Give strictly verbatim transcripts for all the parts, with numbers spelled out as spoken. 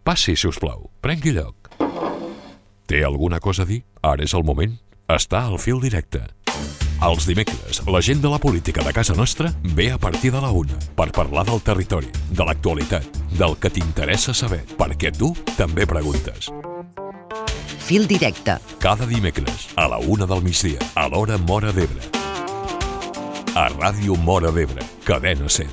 Passi, si us plau. Prengui lloc. Té alguna cosa a dir? Ara és el moment. Està al fil directe. Els dimecres, la gent de la política de casa nostra ve a partir de la una per parlar del territori, de l'actualitat, del que t'interessa saber, perquè tu també preguntes. Fil directe. Cada dimecres, a la una del migdia, a l'hora Móra d'Ebre. A Ràdio Móra d'Ebre, Cadena SER.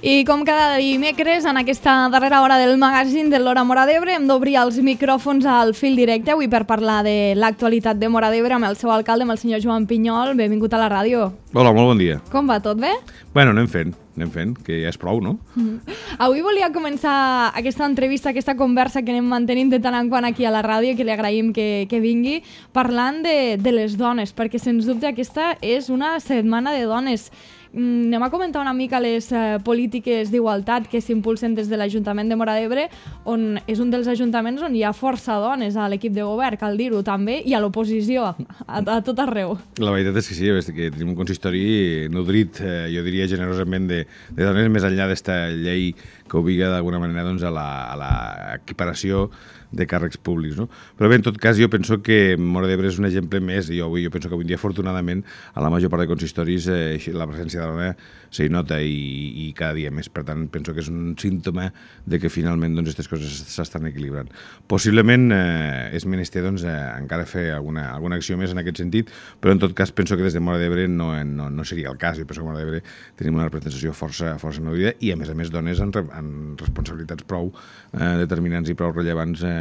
I com cada dimecres, en aquesta darrera hora del magazín de l'Hora Móra d'Ebre, hem d'obrir els micròfons al fil directe avui per parlar de l'actualitat de Móra d'Ebre amb el seu alcalde, amb el senyor Joan Pinyol. Benvingut a la ràdio. Hola, molt bon dia. Com va, tot bé? Bueno, anem fent, anem fent, que ja és prou, no? Mm. Avui volia començar aquesta entrevista, aquesta conversa que anem mantenint de tant en quant aquí a la ràdio, que li agraïm que, que vingui, parlant de, de les dones, perquè sens dubte aquesta és una setmana de dones. Anem a comentar una mica les eh, polítiques d'igualtat que s'impulsen des de l'Ajuntament de Móra d'Ebre, on és un dels ajuntaments on hi ha força dones a l'equip de govern, cal dir-ho també, i a l'oposició, a, a tot arreu. La veritat és que sí, que tenim un consistori nodrit, eh, jo diria generosament, de, de dones, més enllà d'esta llei que obliga d'alguna manera doncs, a l'equiparació de càrrecs públics, no? Però bé, en tot cas, jo penso que Móra d'Ebre és un exemple més, i jo, jo penso que avui dia, afortunadament, a la major part de consistoris eh, la presència de la dona s'hi nota i, i cada dia més. Per tant, penso que és un símptoma de que finalment doncs, aquestes coses s'estan equilibrant. Possiblement eh, és menester doncs, eh, encara fer alguna, alguna acció més en aquest sentit, però en tot cas penso que des de Móra d'Ebre no, no, no seria el cas. Jo penso que a Móra d'Ebre tenim una representació força, força nodrida i, a més a més, dones en, en responsabilitats prou eh, determinants i prou rellevants eh,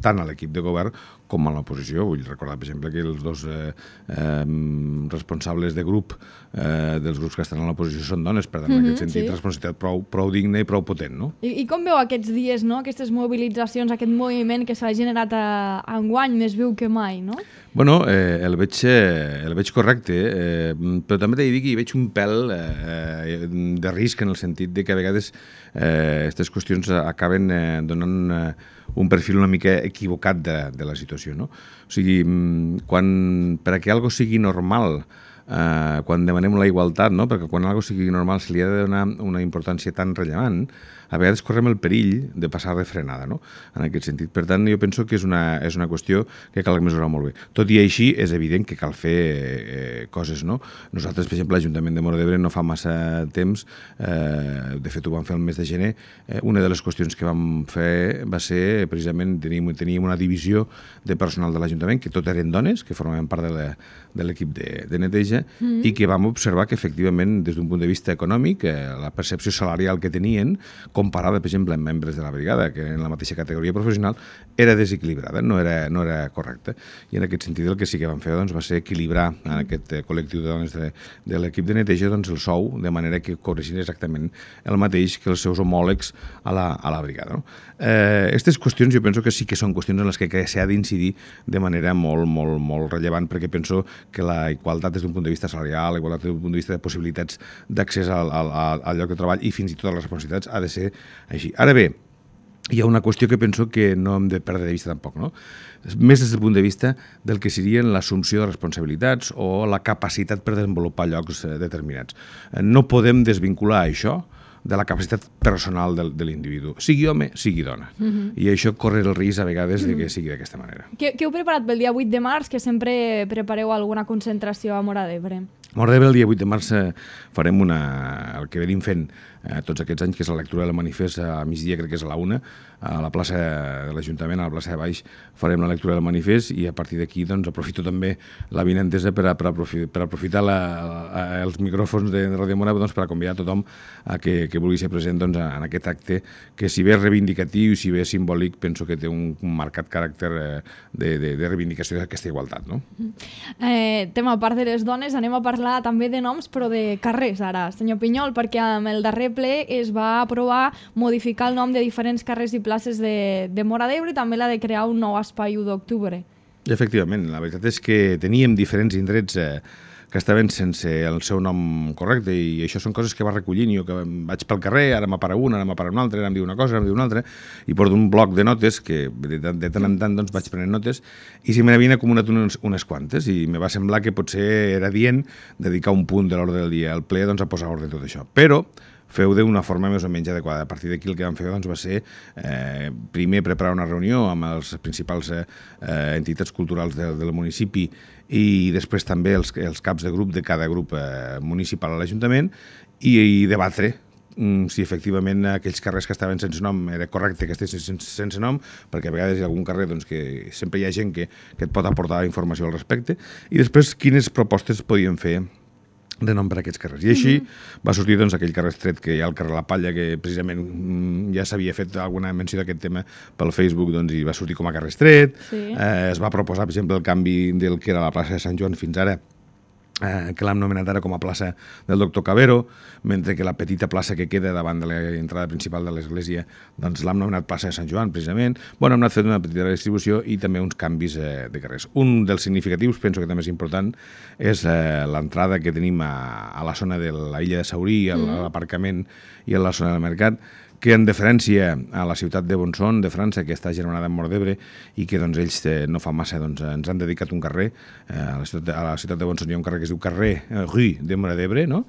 tant a l'equip de govern com a l'oposició. Vull recordar, per exemple, que els dos eh, eh, responsables de grup eh, dels grups que estan a l'oposició són dones, per tant, mm-hmm, en aquest sentit, sí. Responsabilitat prou, prou digna i prou potent, no? I, I com veu aquests dies, no? Aquestes mobilitzacions, aquest moviment que s'ha generat a, a enguany més viu que mai, no? Bueno, eh, el, veig, eh, el veig correcte, eh, però també t'he de dir que hi veig un pèl eh, de risc en el sentit de que a vegades aquestes eh, qüestions acaben eh, donant eh, un perfil una mica equivocat de, de la situació, no? O sigui, quan, per a que algo sigui normal, eh, quan demanem la igualtat, no? Perquè quan algo sigui normal se li ha de donar una importància tan rellevant, a vegades correm el perill de passar de frenada, no? En aquest sentit. Per tant, jo penso que és una, és una qüestió que cal mesurar molt bé. Tot i així, és evident que cal fer eh, coses, no? Nosaltres, per exemple, l'Ajuntament de Móra d'Ebre no fa massa temps, eh, de fet ho vam fer el mes de gener, eh, una de les qüestions que vam fer va ser, precisament, teníem, teníem una divisió de personal de l'Ajuntament, que tot eren dones, que formaven part de l'equip de, de neteja, mm-hmm, i que vam observar que, efectivament, des d'un punt de vista econòmic, eh, la percepció salarial que tenien, comparada, per exemple, amb membres de la brigada, que en la mateixa categoria professional, era desequilibrada, no era, no era correcta. I en aquest sentit el que sí que vam fer doncs, va ser equilibrar en aquest col·lectiu de dones de, de l'equip de neteja doncs, el sou, de manera que cobreixin exactament el mateix que els seus homòlegs a la, a la brigada. No? Eh, aquestes qüestions jo penso que sí que són qüestions en les que s'ha d'incidir de manera molt, molt, molt rellevant, perquè penso que la igualtat des d'un punt de vista salarial, la igualtat des d'un punt de vista de possibilitats d'accés al, al, al lloc de treball i fins i tot a les responsabilitats ha de ser així. Ara bé, hi ha una qüestió que penso que no hem de perdre de vista tampoc, no? Més des del punt de vista del que serien l'assumpció de responsabilitats o la capacitat per desenvolupar llocs determinats. No podem desvincular això de la capacitat personal de, de l'individu, sigui home, sigui dona. Uh-huh. I això corre el risc a vegades de que sigui d'aquesta manera. Què, què heu preparat pel dia vuit de març, que sempre prepareu alguna concentració a Móra d'Ebre? A Móra d'Ebre el dia vuit de març eh, farem una, el que venim fent eh, tots aquests anys, que és la lectura del manifest a migdia, crec que és a la una, a la plaça de l'Ajuntament, a la plaça de Baix, farem la lectura del manifest i a partir d'aquí doncs, aprofito també la vinentesa per, a, per, aprofitar, per aprofitar la, a, els micròfons de Ràdio Móra doncs, per a convidar a tothom a que, que vulgui ser present doncs, en aquest acte que, si bé és reivindicatiu i si bé és simbòlic, penso que té un, un marcat caràcter eh, de, de, de reivindicació d'aquesta igualtat. No? Eh, tema a part de les dones, anem a parlar també de noms, però de carrers ara, senyor Pinyol, perquè amb el darrer ple es va aprovar modificar el nom de diferents carrers i places de, de Móra d'Ebre i també la de crear un nou espai u d'octubre. Efectivament, la veritat és que teníem diferents indrets eh, que estaven sense el seu nom correcte, i això són coses que va recollint jo, que vaig pel carrer, ara m'apara una, ara m'apara una altra, ara em diu una cosa, ara em diu una altra, i porto un bloc de notes que de, de, de tant en tant doncs, vaig prenent notes, i si me n'havien acumulat unes, unes quantes, i me va semblar que potser era dient dedicar un punt de l'ordre del dia al ple doncs, a posar ordre en tot això. Però feu d'una forma més o menys adequada. A partir d'aquí el que vam fer doncs, va ser eh, primer preparar una reunió amb les principals eh, entitats culturals del, del municipi i després també els, els caps de grup de cada grup eh, municipal a l'Ajuntament i, i debatre mm, si efectivament aquells carrers que estaven sense nom era correcte que estiguessin sense, sense nom, perquè a vegades hi ha algun carrer doncs, que sempre hi ha gent que, que et pot aportar informació al respecte, i després quines propostes podien fer de nom per a aquests carrers. I així mm-hmm. va sortir doncs, aquell carrer estret que hi ha al carrer La Palla, que precisament mm, ja s'havia fet alguna menció d'aquest tema pel Facebook, doncs, i va sortir com a carrer estret. Sí. Eh, es va proposar, per exemple, el canvi del que era la plaça de Sant Joan fins ara, eh, que l'han nomenat ara com a plaça del doctor Cabero, mentre que la petita plaça que queda davant de l'entrada principal de l'església doncs l'han nomenat plaça de Sant Joan, precisament. Bueno, hem anat fent una petita distribució i també uns canvis eh, de carrers. Un dels significatius, penso que també és important, és eh, l'entrada que tenim a, a la zona de la illa de Saurí, a l'aparcament i a la zona del mercat, que en deferència a la ciutat de Bonson, de França, que està germanada amb Mort d'Ebre, i que doncs, ells eh, no fa massa doncs, ens han dedicat un carrer, eh, a, la ciutat de, a la ciutat de Bonson hi ha un carrer que es diu carrer eh, Rue de Mort d'Ebre, no?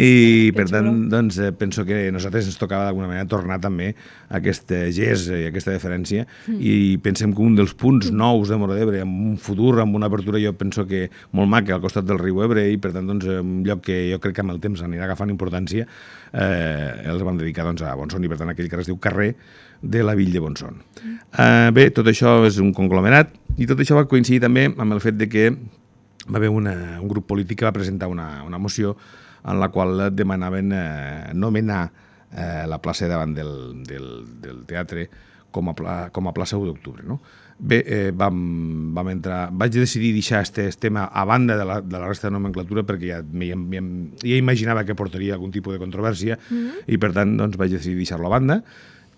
I per tant, doncs, eh, penso que a nosaltres ens tocava d'alguna manera tornar també a aquest gest i aquesta deferència, mm. i pensem que un dels punts nous de Mort d'Ebre, amb un futur, amb una apertura, jo penso que molt maca al costat del riu Ebre, i per tant, doncs, un lloc que jo crec que amb el temps anirà agafant importància, eh, els vam dedicar doncs, a Bonson, i per tant aquell carrer es diu carrer de la Villa de Bonson. Mm. Uh, bé, tot això és un conglomerat i tot això va coincidir també amb el fet de que va haver una, un grup polític que va presentar una, una moció en la qual demanaven eh, nomenar eh, la plaça davant del, del, del teatre com a, pla, com a plaça u d'octubre, no? Bé, eh, vam, vam entrar... Vaig decidir deixar aquest tema a banda de la, de la resta de nomenclatura perquè ja, ja, ja imaginava que portaria algun tipus de controvèrsia mm-hmm. i per tant doncs, vaig decidir deixar-lo a banda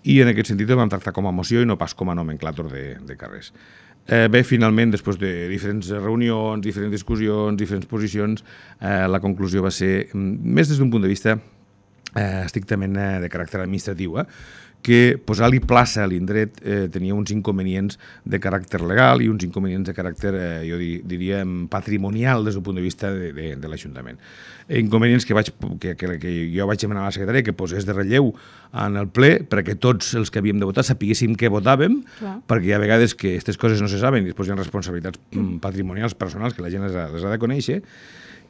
i en aquest sentit ho vam tractar com a moció i no pas com a nomenclàtor de, de carrers. Eh, bé, finalment, després de diferents reunions, diferents discussions, diferents posicions, eh, la conclusió va ser, més des d'un punt de vista eh, estrictament eh, de caràcter administratiu, eh, que posar-li plaça a l'indret eh, tenia uns inconvenients de caràcter legal i uns inconvenients de caràcter, eh, jo diria, patrimonial des del punt de vista de, de, de l'Ajuntament. Inconvenients que, vaig, que, que, que jo vaig demanar a la secretària que posés de relleu en el ple perquè tots els que havíem de votar sapiguéssim què votàvem, clar. Perquè hi ha vegades que aquestes coses no se saben i després hi ha responsabilitats mm. patrimonials personals que la gent les ha, les ha de conèixer.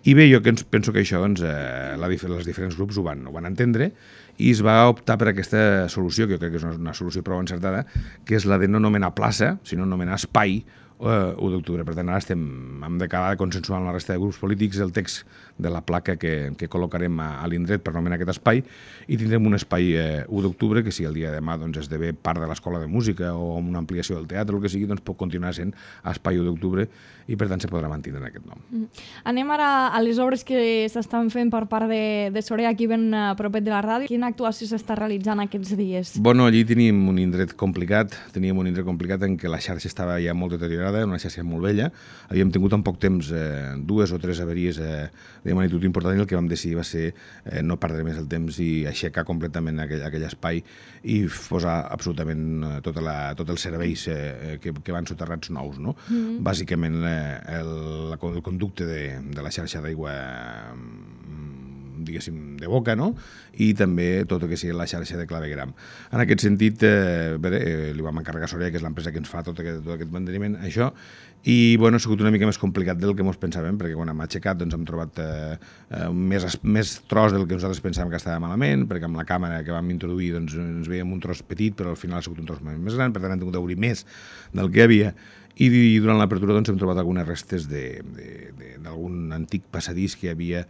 I bé, jo penso que això, doncs, eh, la, els diferents grups ho van, ho van entendre i es va optar per aquesta solució, que jo crec que és una, una solució prou encertada, que és la de no nomenar plaça, sinó nomenar espai uh, u d'octubre. Per tant, ara estem, hem d'acabar de consensuar amb la resta de grups polítics el text de la placa que, que col·locarem a, a l'indret per nomenar aquest espai i tindrem un espai eh, u d'octubre que si el dia de demà doncs, esdevé part de l'Escola de Música o amb una ampliació del teatre o el que sigui, doncs pot continuar sent espai u d'octubre i per tant se podrà mantenir aquest nom. Mm. Anem ara a les obres que s'estan fent per part de, de Sorea, aquí ben a propet de la ràdio. Quina actuació s'està realitzant aquests dies? Bueno, allí tenim un indret complicat, teníem un indret complicat en què la xarxa estava ja molt deteriorada, una xarxa molt vella. Havíem tingut en poc temps eh, dues o tres avaries eh, de magnitud important i el que vam decidir va ser eh, no perdre més el temps i aixecar completament aquell, aquell espai i posar absolutament eh, tota la, tot els serveis eh, que, que van soterrats nous, no? Mm-hmm. Bàsicament eh, el, el conducte de, de la xarxa d'aigua diguéssim, de boca, no? I també tot el que sigui la xarxa de clavegram. En aquest sentit, eh, bé, eh, li vam encarregar a Sorea, que és l'empresa que ens fa tot aquest, tot aquest manteniment, això, i bueno, ha sigut una mica més complicat del que ens pensàvem, perquè quan hem aixecat doncs, hem trobat eh, més, més tros del que nosaltres pensàvem que estava malament, perquè amb la càmera que vam introduir doncs, ens veiem un tros petit, però al final ha sigut un tros més gran, per tant hem tingut d'obrir més del que hi havia. I durant l'apertura doncs, hem trobat algunes restes d'algun antic passadís que hi havia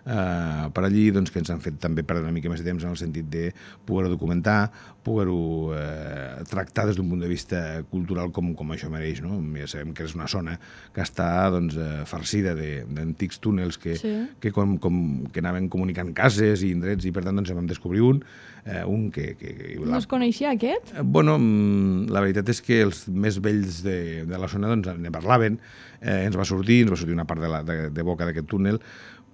eh, per allí, doncs, que ens han fet també perdre una mica més de temps en el sentit de poder-ho documentar, poder-ho eh, tractar des d'un punt de vista cultural com, com això mereix. No? Ja sabem que és una zona que està doncs, eh, farcida d'antics túnels que, sí. que, com, com, que anaven comunicant cases i indrets i per tant doncs, en vam descobrir un. Eh, un que, que, que la... No es coneixia aquest? Eh, bueno, la veritat és que els més vells de, de la zona doncs, ne parlaven, eh, ens va sortir, ens va sortir una part de, la, de, de boca d'aquest túnel,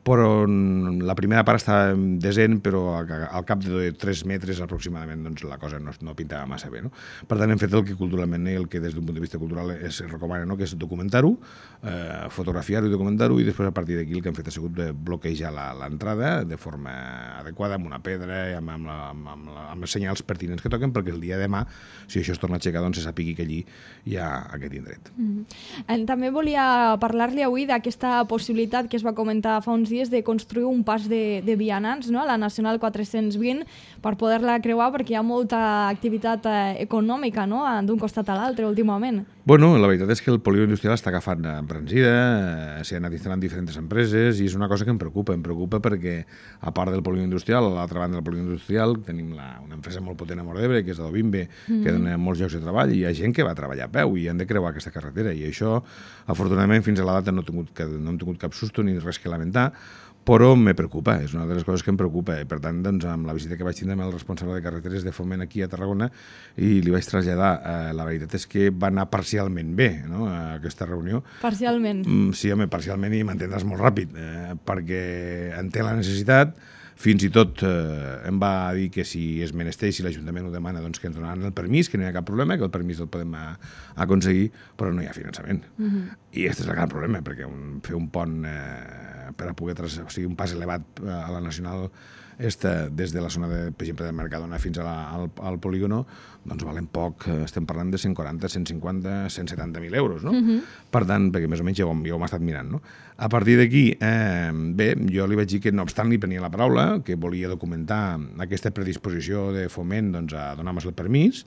però la primera part estava desent, però al cap de tres metres aproximadament doncs, la cosa no, no pintava massa bé. No? Per tant, hem fet el que culturalment i el que des d'un punt de vista cultural es recomana, no? Que és documentar-ho, eh, fotografiar-ho i documentar-ho, i després a partir d'aquí el que hem fet ha sigut bloquejar l'entrada de forma adequada, amb una pedra, amb, amb, la, amb, amb, la, amb els senyals pertinents que toquen, perquè el dia de demà, si això es torna a aixecar, doncs se sàpigui que allí hi ha aquest indret. Mm-hmm. També volia parlar-li avui d'aquesta possibilitat que es va comentar fa uns dies de construir un pas de, de vianants, no? A la Nacional quatre-cents vint, per poder-la creuar, perquè hi ha molta activitat eh, econòmica, no? D'un costat a l'altre últimament. Bueno, la veritat és que el polígon industrial està agafant embranzida, eh, s'hi han anat instal·lant diferents empreses, i és una cosa que em preocupa. Em preocupa perquè, a part del polígon industrial, a l'altra banda del polígon industrial, tenim la, una empresa molt potent a Móra d'Ebre, que és Adobimbe, mm. que dona molts llocs de treball, i hi ha gent que va treballar a peu i han de creuar aquesta carretera, i això, afortunadament, fins a la data no hem tingut, no hem tingut cap susto ni res que lamentar, però me preocupa, és una de les coses que em preocupa. I per tant, doncs, amb la visita que vaig tindre amb el responsable de carreteres de Foment aquí a Tarragona, i li vaig traslladar, eh, la veritat és que va anar parcialment bé, no?, aquesta reunió. Parcialment? Mm, sí, home, parcialment, i m'entendràs molt ràpid, eh, perquè en té la necessitat. Fins i tot eh, em va dir que si és menester, si l'Ajuntament ho demana, doncs que ens donaran el permís, que no hi ha cap problema, que el permís el podem a, a aconseguir, però no hi ha finançament. Uh-huh. I aquest és el gran problema, perquè un, fer un pont eh, per a poder, tras, o sigui, un pas elevat a la Nacional esta, des de la zona, de, per exemple, de Mercadona fins a la, al, al polígono, doncs valen poc, estem parlant de cent quaranta, cent cinquanta, cent setanta mil euros, no? Uh-huh. Per tant, perquè més o menys ja ho, ja ho hem estat mirant, no? A partir d'aquí, eh, bé, jo li vaig dir que no obstant li prenia la paraula, que volia documentar aquesta predisposició de Foment, doncs, a donar-nos el permís,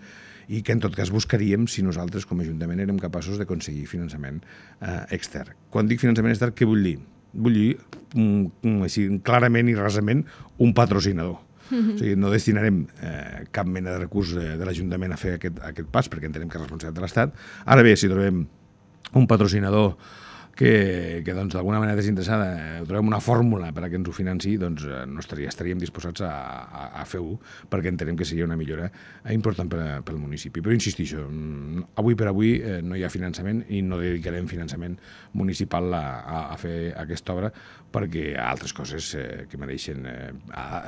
i que en tot cas buscaríem si nosaltres com a Ajuntament érem capaços d'aconseguir finançament eh, extern. Quan dic finançament extern, què vull dir? Vull dir, um, així, clarament i rasament, un patrocinador. Mm-hmm. O sigui, no destinarem eh, cap mena de recurs eh, de l'Ajuntament a fer aquest, aquest pas, perquè entenem que és responsabilitat de l'Estat. Ara bé, si trobem un patrocinador que, que doncs, d'alguna manera desinteressada, eh, trobem una fórmula per a que ens ho financi, doncs eh, no estaria, estaríem disposats a, a, a fer-ho, perquè entenem que seria una millora important per, pel municipi. Però insistixo, avui per avui eh, no hi ha finançament i no dedicarem finançament municipal a, a, a fer aquesta obra, perquè hi ha altres coses eh, que mereixen eh,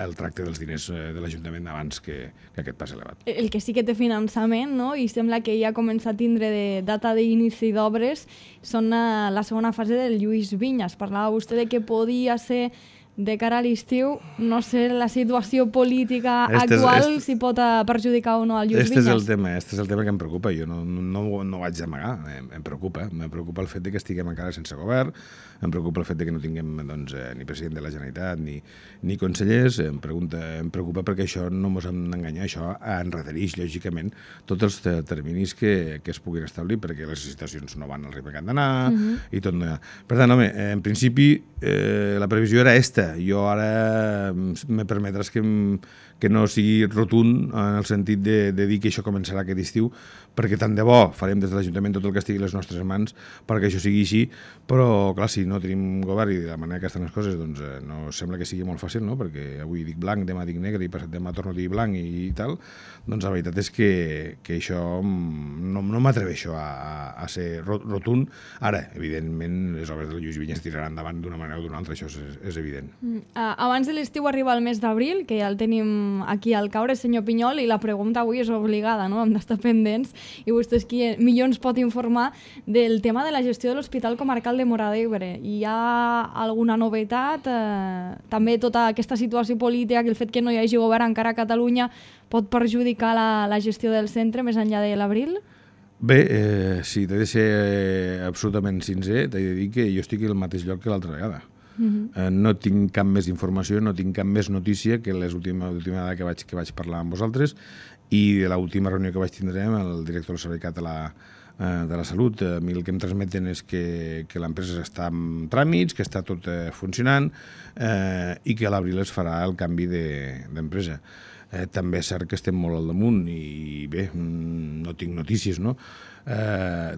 el tracte dels diners eh, de l'Ajuntament abans que, que aquest pas elevat. El que sí que té finançament, no? I sembla que ja comença a tindre de data d'inici d'obres, són a la segona fase del Lluís Vinyes. Parlava vostè de que podia ser de cara a l'estiu, no sé, la situació política este actual, és, este, si pot perjudicar o no al Lluís este Vinyes. És el tema, este és el tema que em preocupa. Jo no, no, no ho haig d'amagar, em, em preocupa. Em preocupa el fet de que estiguem encara sense govern, em preocupa el fet de que no tinguem doncs, eh, ni president de la Generalitat ni, ni consellers, em, pregunta, em preocupa perquè això no ens hem d'enganyar, això enredareix, lògicament, tots els terminis que, que es puguin establir, perquè les licitacions no van al ritme que han d'anar, uh-huh. i tot no hi ha. Per tant, home, en principi, eh, la previsió era esta. Jo ara me permetràs que, que no sigui rotund en el sentit de, de dir que això començarà aquest estiu, perquè tant de bo farem des de l'Ajuntament tot el que estigui a les nostres mans perquè això sigui així, però clar, si no tenim govern i de la manera que estan les coses, doncs eh, no sembla que sigui molt fàcil, no? Perquè avui dic blanc, demà dic negre i passat demà torno a dir blanc i, i tal, doncs la veritat és que, que això no, no m'atreveixo a, a, a ser rotund. Ara, evidentment, les obres del Lluís Vinyes tiraran endavant d'una manera o d'una altra, això és, és evident. Mm. Uh, abans de l'estiu arriba el mes d'abril, que ja el tenim aquí al caure, senyor Pinyol, i la pregunta avui és obligada, no? Hem d'estar pendents, i vostè és qui millor ens pot informar del tema de la gestió de l'Hospital Comarcal de Móra d'Ebre. Hi ha alguna novetat? Eh, també tota aquesta situació política, que el fet que no hi hagi govern encara a Catalunya pot perjudicar la, la gestió del centre més enllà de l'abril? Bé, eh, si t'he de ser eh, absolutament sincer, t'he de dir que jo estic al mateix lloc que l'altra vegada. Uh-huh. eh, no tinc cap més informació, no tinc cap més notícia que l'última vegada que vaig, que vaig parlar amb vosaltres, i de l'última reunió que vaig tindre amb el director del Servei Català eh, de la Salut. A mi el que em transmeten és que, que l'empresa està en tràmits, que està tot eh, funcionant eh, i que a l'abril es farà el canvi d'empresa. De, eh, també és cert que estem molt al damunt i bé, no tinc notícies, no? Eh,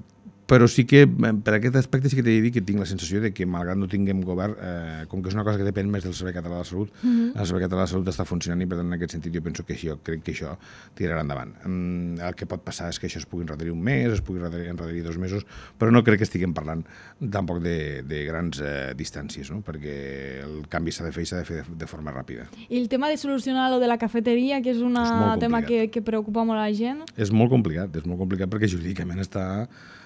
però sí que, per aquest aspecte, sí que t'he de dir que tinc la sensació de que, malgrat no tinguem govern, eh, com que és una cosa que depèn més del Servei Català de la Salut, mm-hmm. el Servei Català de la Salut està funcionant i, per tant, en aquest sentit, jo penso que això, crec que això tirarà endavant. Mm, el que pot passar és que això es pugui endarrerir un mes, es pugui endarrerir dos mesos, però no crec que estiguem parlant tampoc de, de grans eh, distàncies, no? Perquè el canvi s'ha de fer i s'ha de fer de, de forma ràpida. I el tema de solucionar lo de la cafeteria, que és un tema que, que preocupa molt a la gent? És molt complicat, és molt complicat perquè jurídicament està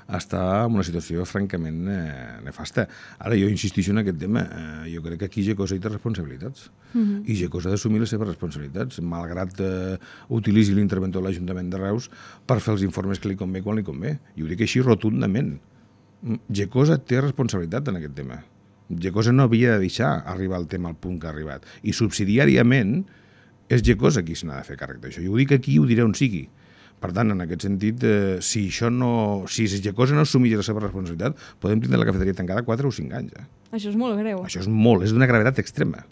està en una situació francament eh, nefasta. Ara, jo insistixo en aquest tema. Eh, jo crec que aquí Gecosa hi té responsabilitats. Uh-huh. I Gecosa ha d'assumir les seves responsabilitats, malgrat eh, utilitzi l'interventor de l'Ajuntament de Reus per fer els informes que li convé quan li convé. I ho dic així rotundament. Gecosa té responsabilitat en aquest tema. Gecosa no havia de deixar arribar el tema al punt que ha arribat. I subsidiàriament és Gecosa qui se n'ha de fer càrrec d'això. I ho dic aquí i ho diré on sigui. Per tant, en aquest sentit, eh, si això no, si Gecosa no assumeix la seva responsabilitat, podem tindre la cafeteria tancada quatre o cinc anys. Eh? Això és molt greu. Això és molt, és d'una gravetat extrema.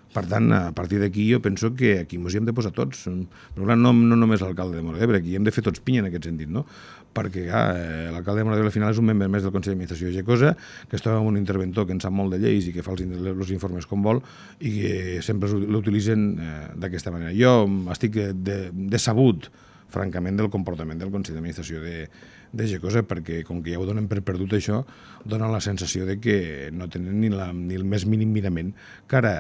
Per tant, a partir d'aquí jo penso que aquí ens hi hem de posar tots. Però no, no només l'alcalde de Móra d'Ebre, aquí hem de fer tots pinya en aquest sentit, no? Perquè clar, l'alcalde de Móra d'Ebre al final és un membre més del Consell d'Administració de Gecosa, que es troba amb un interventor que en sap molt de lleis i que fa els, els informes com vol i que sempre l'utilitzen eh, d'aquesta manera. Jo estic de, decebut francament, del comportament del Consell d'Administració de, de Gecosa, perquè com que ja ho donen per perdut això, donen la sensació de que no tenen ni, la, ni el més mínim mirament cara,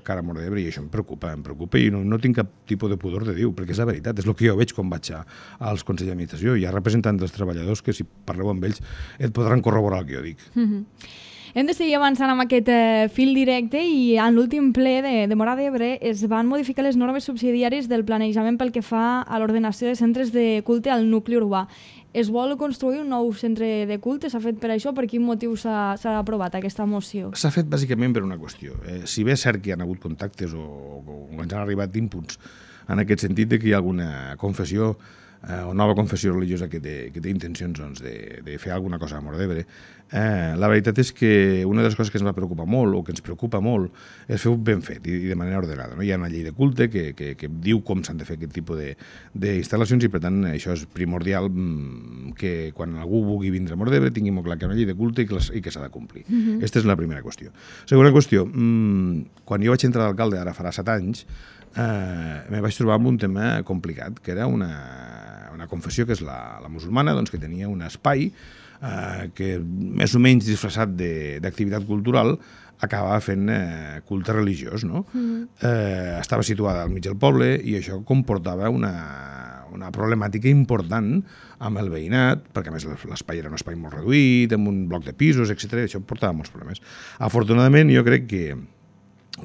cara a Móra d'Ebre, i això em preocupa, em preocupa, i no, no tinc cap tipus de pudor de dir-ho, perquè és la veritat, és el que jo veig quan vaig a, als Consells d'Administració. Hi ha representants dels treballadors que, si parleu amb ells, et podran corroborar el que jo dic. Mm-hmm. Hem de seguir avançant amb aquest eh, fil directe i en l'últim ple de, de Móra d'Ebre es van modificar les normes subsidiàries del planejament pel que fa a l'ordenació de centres de culte al nucli urbà. Es vol construir un nou centre de culte? S'ha fet per això? Per quin motiu s'ha aprovat aquesta moció? S'ha fet bàsicament per una qüestió. Eh, si bé és cert que hi ha hagut contactes o, o ens han arribat inputs en aquest sentit de que hi ha alguna confessió eh, o nova confessió religiosa que té, que té intencions doncs, de, de fer alguna cosa a Móra d'Ebre. Eh, la veritat és que una de les coses que ens va preocupar molt o que ens preocupa molt és fer-ho ben fet i, i de manera ordenada. No? Hi ha una llei de culte que, que, que diu com s'han de fer aquest tipus d'instal·lacions i per tant això és primordial que quan algú vulgui vindre a Móra d'Ebre tingui molt clar que hi ha una llei de culte i que, i que s'ha de complir. Uh-huh. Aquesta és la primera qüestió. Segona qüestió, mmm, quan jo vaig entrar d'alcalde, ara farà set anys, eh, me vaig trobar amb un tema complicat, que era una, una confessió que és la, la musulmana, doncs, que tenia un espai eh, que més o menys disfressat d'activitat cultural acabava fent eh, culte religiós, no? Mm. Eh, estava situada al mig del poble i això comportava una, una problemàtica important amb el veïnat, perquè a més l'espai era un espai molt reduït, amb un bloc de pisos, etcètera, i això portava molts problemes. Afortunadament, jo crec que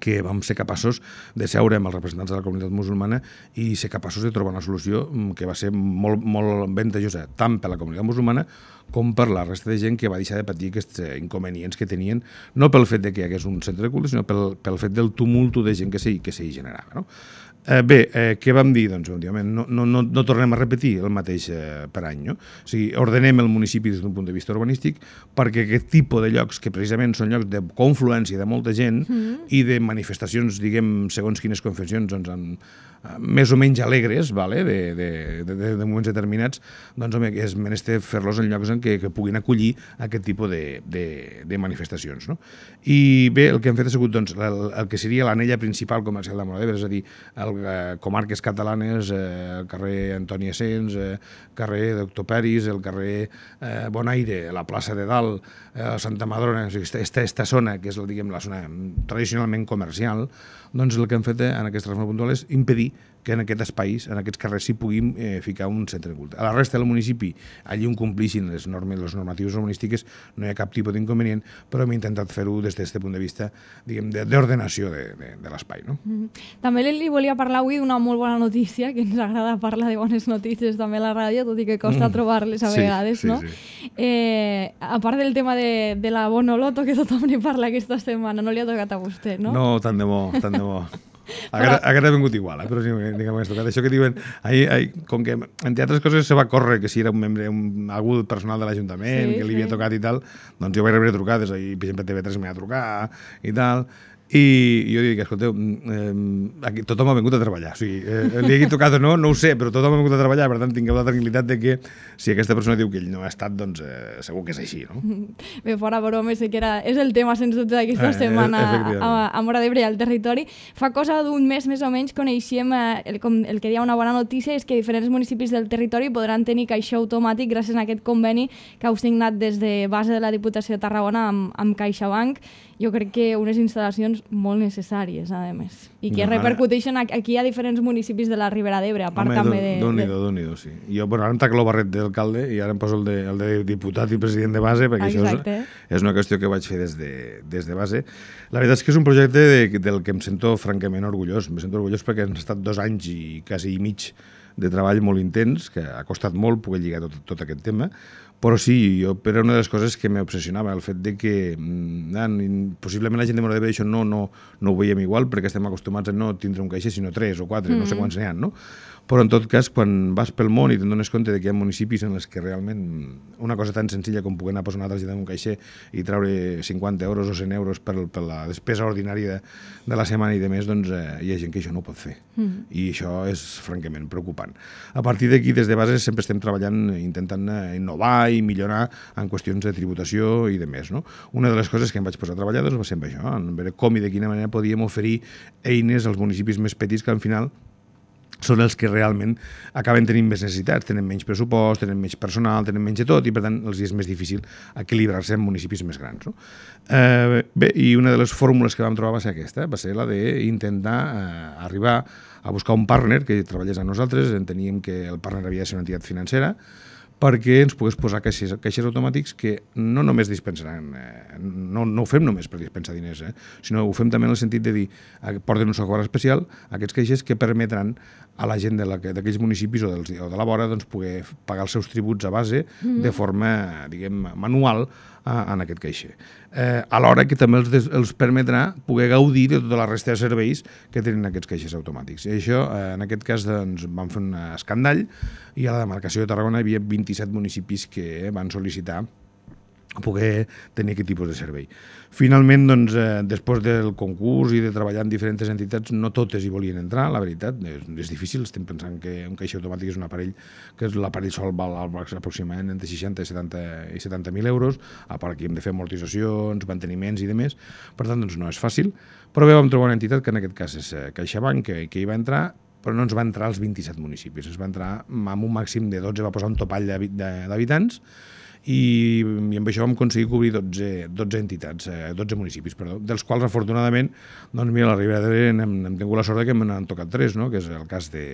que vam ser capaços de seure amb els representants de la comunitat musulmana i ser capaços de trobar una solució que va ser molt, molt avantatjosa tant per la comunitat musulmana com per la resta de gent que va deixar de patir aquests inconvenients que tenien, no pel fet de que hi hagués un centre de culte, sinó pel, pel fet del tumulto de gent que s'hi que s'hi generava, no? Eh, bé, eh, què vam dir? Doncs, òbviament, no, no, no, no tornem a repetir el mateix eh, per any, no? O sigui, ordenem el municipi des d'un punt de vista urbanístic perquè aquest tipus de llocs, que precisament són llocs de confluència de molta gent mm. i de manifestacions, diguem, segons quines confessions, doncs, en, més o menys alegres, vale? de, de, de, de moments determinats, doncs home, és menester fer-los en llocs en què, que puguin acollir aquest tipus de, de, de manifestacions. No? I bé, el que hem fet ha sigut doncs, el, el que seria l'anella principal comercial de Móra d'Ebre, és a dir, el eh, comarques catalanes, eh, el carrer Antoni Essens, eh, carrer Doctor Peris, el carrer eh, Bonaire, la plaça de Dalt, eh, Santa Madrona, o sigui, esta, esta zona, que és la, diguem, la zona tradicionalment comercial, doncs el que hem fet en aquesta reforma puntual és impedir que en aquests espais, en aquests carrers, s'hi puguin eh, ficar un centre de culte. A la resta del municipi, allí on complixin les normes, les normatives urbanístiques, no hi ha cap tipus d'inconvenient, però hem intentat fer-ho des d'aquest punt de vista, diguem, d'ordenació de, de, de l'espai. No? Mm-hmm. També li volia parlar avui d'una molt bona notícia, que ens agrada parlar de bones notícies també a la ràdio, tot i que costa mm. trobar-les a vegades, sí, no? Sí, sí. Eh, a part del tema de, de la Bonoloto, que tothom n'hi parla aquesta setmana, no li ha tocat a vostè, no? No, tant de bo, tant de bo. Aquest ha vingut igual, eh? Però sí, diguem, això que diuen, ahir, ahir, com que entre altres coses se va córrer que si era un membre, un, algú personal de l'Ajuntament, sí, que li havia sí. tocat i tal, doncs jo vaig rebre trucades, ahir, per exemple, T V tres m'ha trucat i tal, I jo dic, escolteu, eh, aquí tothom ha vingut a treballar. O sigui, eh, li hagi tocat o no, no ho sé, però tothom ha vingut a treballar, per tant, tingueu la tranquil·litat de que si aquesta persona diu que ell no ha estat, doncs eh, segur que és així, no? Bé, fora bromes, sé que era, és el tema, sens dubte, d'aquesta Eh, setmana efectivament. a, a Móra d'Ebre i al territori. Fa cosa d'un mes, més o menys, coneixíem, eh, el, com, el que hi ha una bona notícia és que diferents municipis del territori podran tenir caixer automàtic gràcies a aquest conveni que heu signat des de base de la Diputació de Tarragona amb, amb CaixaBank. Jo crec que unes instal·lacions molt necessàries, a més, i que No, ara- repercuteixen a- aquí a diferents municipis de la Ribera d'Ebre, a part Home, també de... Déu-n'hi-do, de... Déu-n'hi-do, sí. Jo, bueno, ara em tac el barret d'alcalde i ara em poso el de, el de diputat i president de base, perquè Exacte. això és, és una qüestió que vaig fer des de, des de base. La veritat és que és un projecte de, del que em sento francament orgullós. Em sento orgullós perquè han estat dos anys i quasi i mig de treball molt intens, que ha costat molt poder lligar tot, tot aquest tema, però sí, jo, però una de les coses que m'obsessionava, el fet de que mm, possiblement la gent de Móra d'Ebre això no, no, no ho veiem igual, perquè estem acostumats a no tindre un caixer, sinó tres o quatre, mm-hmm. no sé quants n'hi ha, no? Però en tot cas, quan vas pel món i te'n dones compte de que hi ha municipis en els que realment una cosa tan senzilla com poder anar a posar una targeta en un caixer i treure cinquanta euros o cent euros per, per la despesa ordinària de, de la setmana i de més, doncs eh, hi ha gent que això no ho pot fer. Mm. I això és francament preocupant. A partir d'aquí, des de base, sempre estem treballant, intentant innovar i millorar en qüestions de tributació i de més, no? Una de les coses que em vaig posar a treballar doncs, va ser amb això, en veure com i de quina manera podíem oferir eines als municipis més petits que al final són els que realment acaben tenint més necessitats, tenen menys pressupost, tenen menys personal, tenen menys de tot, i per tant els és més difícil equilibrar-se en municipis més grans. No? Eh, bé, i una de les fórmules que vam trobar va ser aquesta, va ser la d'intentar eh, arribar a buscar un partner que treballés amb nosaltres, enteníem que el partner havia de ser una entitat financera, perquè ens pogués posar caixers, caixers automàtics que no només dispensaran, eh, no, no ho fem només per dispensar diners, eh, sinó ho fem també en el sentit de dir, eh, porten un software especial, aquests caixers que permetran a la gent d'aquells municipis o, dels, o de la vora doncs, poder pagar els seus tributs a base mm-hmm. de forma, diguem, manual a, en aquest caixer. Eh, alhora que també els, des, els permetrà poder gaudir de tota la resta de serveis que tenen aquests caixers automàtics. I això, eh, en aquest cas, doncs, vam fer un escandall i a la demarcació de Tarragona hi havia vint-i-set municipis que van sol·licitar poder tenir aquest tipus de servei. Finalment, doncs, eh, després del concurs i de treballar en diferents entitats, no totes hi volien entrar, la veritat, és, és difícil, estem pensant que un caixer automàtic és un aparell, que l'aparell sol val aproximadament entre seixanta i setanta mil euros, a part que hem de fer amortitzacions, manteniments i demés, per tant, doncs no és fàcil, però bé, vam trobar una entitat que en aquest cas és CaixaBank, que, que hi va entrar, però no ens va entrar als vint-i-set municipis, ens va entrar amb un màxim de dotze, va posar un topall d'habitants, i, i amb això vam aconseguir cobrir dotze, dotze entitats, eh, dotze municipis, perdó, dels quals afortunadament, doncs mira, a la Ribera d'Ebre hem, hem tingut la sort que m'han tocat tres, no? Que és el cas de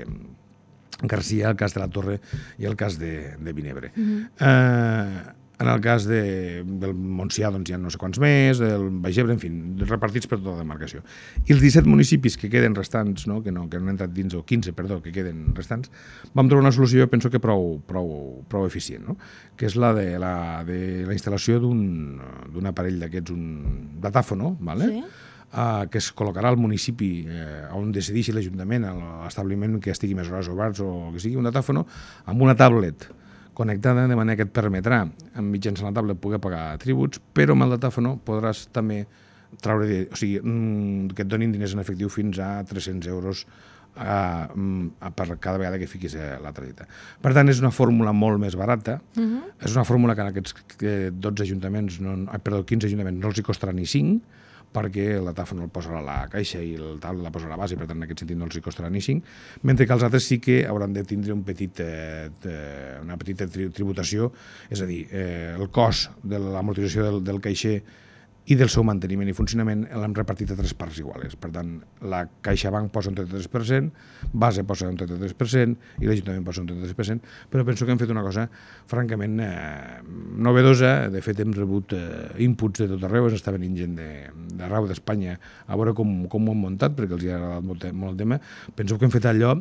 Garcia, el cas de la Torre i el cas de, de Vinebre. Mm-hmm. eh, en el cas de, del Montsià doncs hi ha no sé quants més, del Baix Ebre, en fi, repartits per tota la demarcació. I els disset municipis que queden restants, no? Que, no, que no han entrat dins, o quinze, perdó, que queden restants, vam trobar una solució, jo penso que prou, prou, prou eficient, no? Que és la de la, de la instal·lació d'un aparell d'aquests, un datàfono, ¿vale? Sí. Uh, que es col·locarà al municipi eh, on decideixi l'Ajuntament, a l'establiment que estigui més hores oberts o que sigui un datàfono, amb una tablet connectada, de manera que et permetrà, mitjançant la tablet, poder pagar tributs, però amb el datàfono podràs també traure, de, o sigui, que et donin diners en efectiu fins a tres-cents euros a, a, per cada vegada que fiquis la targeta. Per tant, és una fórmula molt més barata, uh-huh. És una fórmula que en aquests dotze ajuntaments, no, perdó, quinze ajuntaments no els hi costarà ni cinc, perquè el datàfon el posarà a la caixa i el tablet la posarà a la base, per tant en aquest sentit no els hi costarà ni cinc, mentre que els altres sí que hauran de tindre un petit, eh, una petita tributació, és a dir, eh, el cost de l'amortització del, del caixer i del seu manteniment i funcionament l'hem repartit a tres parts iguales. Per tant, la CaixaBank posa un trenta-tres per cent, Base posa un trenta-tres per cent i l'Ajuntament posa un trenta-tres per cent, però penso que hem fet una cosa francament eh, novedosa. De fet, hem rebut eh, inputs de tot arreu, ens està venint gent d'arreu d'Espanya a veure com, com ho hem muntat, perquè els hi ha agradat molt, molt el tema. Penso que hem fet allò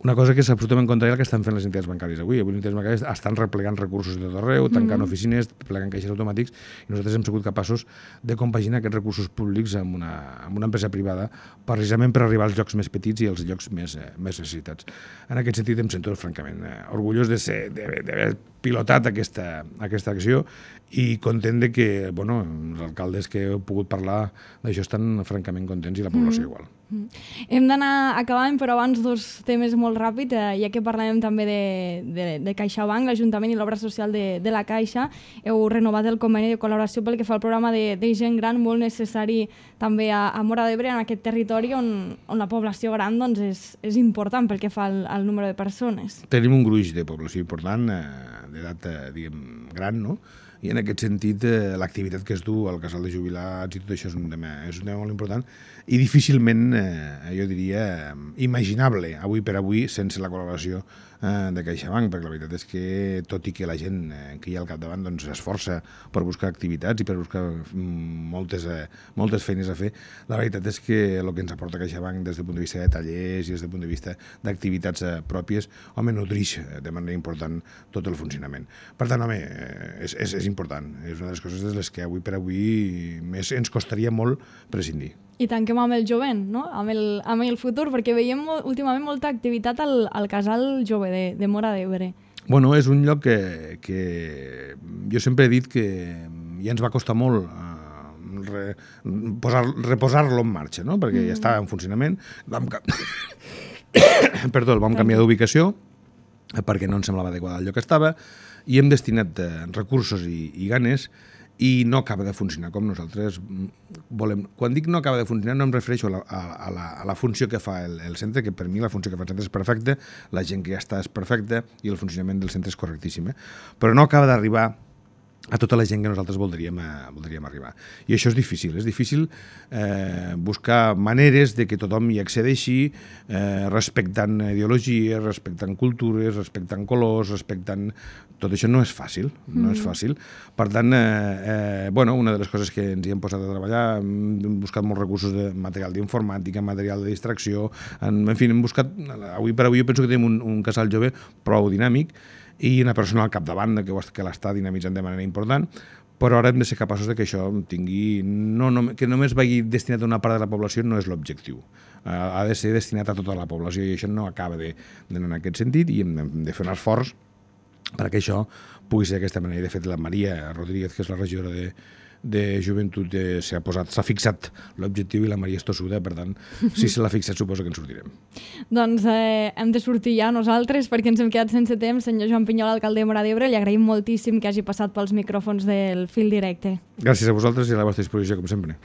Una cosa que és absolutament contrària al que estan fent les entitats bancàries avui. Avui les entitats bancàries estan replegant recursos de tot arreu, tancant mm-hmm. oficines, plegant caixers automàtics, i nosaltres hem sigut capaços de compaginar aquests recursos públics amb una, amb una empresa privada, precisament per arribar als llocs més petits i als llocs més, eh, més necessitats. En aquest sentit em sento francament eh, orgullós de ser, d'haver pilotat aquesta, aquesta acció i content de que bueno, els alcaldes que he pogut parlar d'això estan francament contents i la població mm-hmm. igual. Hem d'anar acabant, però abans dos temes molt ràpid, eh, ja que parlem també de, de, de CaixaBank, l'Ajuntament i l'obra social de, de la Caixa. Heu renovat el conveni de col·laboració pel que fa al programa de, de gent gran, molt necessari també a, a Móra d'Ebre, en aquest territori on, on la població gran doncs, és, és important pel que fa al, al número de persones. Tenim un gruix de població important, eh, d'edat eh, diguem, gran, no? I en aquest sentit eh, l'activitat que es du al casal de jubilats i tot això és un tema, és un tema molt important i difícilment, eh, jo diria, eh, imaginable avui per avui sense la col·laboració eh, de CaixaBank, perquè la veritat és que tot i que la gent eh, que hi ha al capdavant doncs, s'esforça per buscar activitats i per buscar mm, moltes, eh, moltes feines a fer, la veritat és que el que ens aporta CaixaBank des del punt de vista de tallers i des del punt de vista d'activitats eh, pròpies, home, nodrix de manera important tot el funcionament. Per tant, home, eh, és, és, és important, és una de les coses de les que avui per avui més ens costaria molt prescindir. I tanquem amb el jovent, no? amb, el, amb el futur, perquè veiem molt, últimament molta activitat al, al casal jove de, de Móra d'Ebre. Bueno, és un lloc que, que jo sempre he dit que ja ens va costar molt uh, re, posar, reposar-lo en marxa, no? Perquè mm. ja estava en funcionament. Vam, Perdó, el vam canviar d'ubicació perquè no ens semblava adequada al lloc que estava i hem destinat uh, recursos i, i ganes i no acaba de funcionar com nosaltres volem. Quan dic no acaba de funcionar no em refereixo a la, a la, a la funció que fa el, el centre, que per mi la funció que fa el centre és perfecta, la gent que ja està és perfecta i el funcionament del centre és correctíssim, eh? Però no acaba d'arribar a tota la gent que nosaltres voldríem, eh, voldríem arribar. I això és difícil, és difícil eh, buscar maneres de que tothom hi accedeixi, eh, respectant ideologies, respectant cultures, respectant colors, respectant... Tot això no és fàcil, no mm. és fàcil. Per tant, eh, eh, bueno, una de les coses que ens hi hem posat a treballar, hem buscat molts recursos de material d'informàtica, material de distracció, en, en fi, hem buscat... Avui per avui jo penso que tenim un, un casal jove prou dinàmic, i una persona al capdavant que, que l'està dinamitzant de manera important, però ara hem de ser capaços de que això tingui... No, no, que només vagi destinat a una part de la població no és l'objectiu. Uh, ha de ser destinat a tota la població i això no acaba d'anar en aquest sentit i hem de fer un esforç perquè això pugui ser d'aquesta manera. De fet, la Maria Rodríguez, que és la regidora de, de joventut, eh, s'ha posat, s'ha fixat l'objectiu i la Maria és tossuda, per tant, si se l'ha fixat suposo que en sortirem. Doncs eh, hem de sortir ja nosaltres perquè ens hem quedat sense temps. Senyor Joan Pinyol, alcalde de Móra d'Ebre, li agraïm moltíssim que hagi passat pels micròfons del Fil Directe. Gràcies a vosaltres i a la vostra disposició, com sempre.